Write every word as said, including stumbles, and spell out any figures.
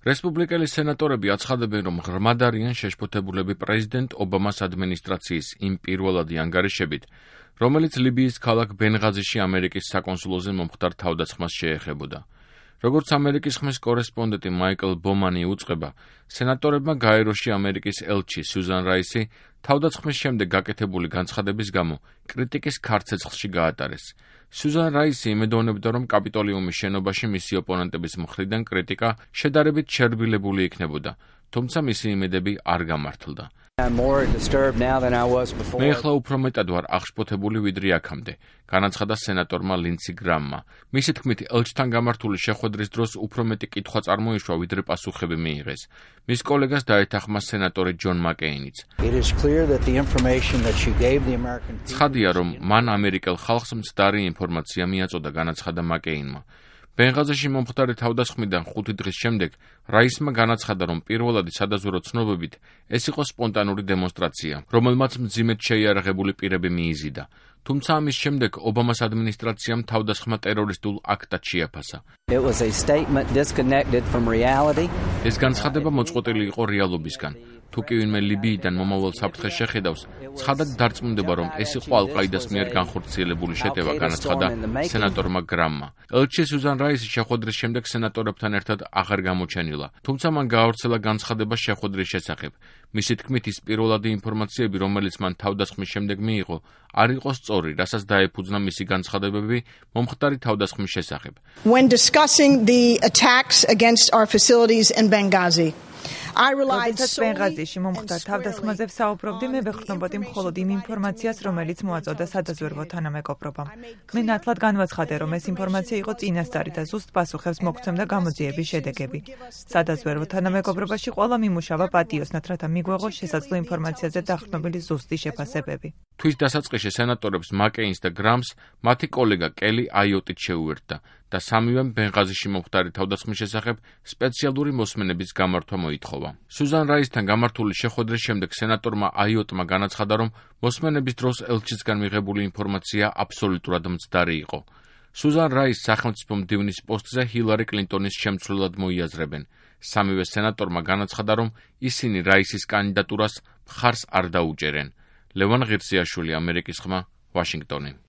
რესპუბლიკელი სენატორები აცხადებენ, რომ ღრმად არიან შეშფოთებულები პრეზიდენტ ობამას ადმინისტრაციის იმ პირველადი ანგარიშებით, რომელიც ლიბიის ქალაქ ბენღაზიში ამერიკის საკონსულოზე მომხდარ თავდასხმას შეეხებოდა. როგორც ამერიკის ხმის კორესპონდენტი მაიკლ ბომანი უწყება, სენატორებმა გაეროში ამერიკის ელჩი სიუზან რაისი თავდასხმის შემდეგ გაკეთებული განცხადების გამო კრიტიკის ქარცეცხლში გაატარეს. სიუზან რაისი იმედოვნებდა, რომ კაპიტოლიუმის შენობაში მისი ოპონენტების მხრიდან კრიტიკა შედარებით შერბილებული იქნებოდა, თუმცა მისი იმედები არ გამართლდა. მე ახლა უფრო მეტად ვარ აღშფოთებული ვიდრე აქამდე, განაცხადა სენატორმა ლინდსი გრამმა. მისი თქმით, ელჩთან გამართული შეხვედრის დროს უფრო მეტი კითხვა წარმოიშვა, ვიდრე პასუხები მიიღეს. მის კოლეგას დაეთანხმა სენატორი ჯონ მაკეინიც. ცხადია, რომ მან ამერიკელ ხალხს მცდარი ინფორმაცია მიაწოდა, განაცხადა მაკეინმა. ბენღაზიში მომხდარი თავდასხმიდან ხუთი დღის შემდეგ რაისმა განაცხადა, რომ პირველადი სადაზვერო ცნობებით ეს იყო სპონტანური დემონსტრაცია, რომელმაც მძიმედ შეიარაღებული პირები მიიზიდა. თუმცა ამის შემდეგ ობამას ადმინისტრაციამ თავდასხმა ტერორისტულ აქტად შეაფასა. ეს განცხადება მოწყვეტილი იყო რეალობისგან. თუ კი ვინმე ლიბიიდან მომავალ საფრთხეს შეხედავს, ცხადად დარწმუნდება, რომ ეს იყო ალ-ყაიდას მიერ განხორციელებული შეტევა, განაცხადა სენატორმა გრამმა. ელჩი სიუზან რაისი შეხვედრის შემდეგ სენატორებთან ერთად აღარ გამოჩენილა, თუმცა მან გაავრცელა განცხადება შეხვედრის შესახებ. მისი თქმით, ის პირველადი ინფორმაციები, რომელიც მან თავდასხმის შემდეგ მიიღო, არ იყო სწორი, რასაც დაეფუძნა მისი განცხადებები მომხდარი თავდასხმის შესახებ. When discussing the attacks against our facilities in Benghazi, როდესაც ბენღაზიში მომხდარ თავდასხმაზე ვსაუბრობდი, მე ვეყრდნობოდი მხოლოდ იმ ინფორმაციას, რომელიც მოაწოდა სადაზვერვო თანამეგობრობამ. მე ნათლად განვაცხადე, რომ ეს ინფორმაცია იყო წინასწარი და ზუსტ პასუხებს მოგცემდა გამოძიების შედეგები. სადაზვერვო თანამეგობრობაში ყველა მიმუშავა პატიოსნად, რათა მიგვეღოს შესაძლო ინფორმაციაზე დაყრდნობილი ზუსტი შეფასებები. თვის დასაწყისში სენატორებს მაკეინს და გრამს მათი კოლეგა კელი აიოტით შეუერთდა და სამივემ ბენღაზიში მომხდარი თავდასხმის შესახებ სპეციალური მოსმენების გამართვა მოითხოვა. სიუზან რაისთან გამართული შეხვედრის შემდეგ სენატორმა აიოტმა განაცხადა, რომ მოსმენების დროს ელჩისგან მიღებული ინფორმაცია აბსოლუტურად მცდარი იყო. სიუზან რაისს სახელმწიფო მდივნის პოსტზე ჰილარი კლინტონის შემცვლელად მოიაზრებენ. სამივე სენატორმა განაცხადა, რომ ისინი რაისის კანდიდატურას მხარს არ დაუჭერენ. ლევან ღირსიაშვილი, ამერიკის ხმა, ვაშინგტონი.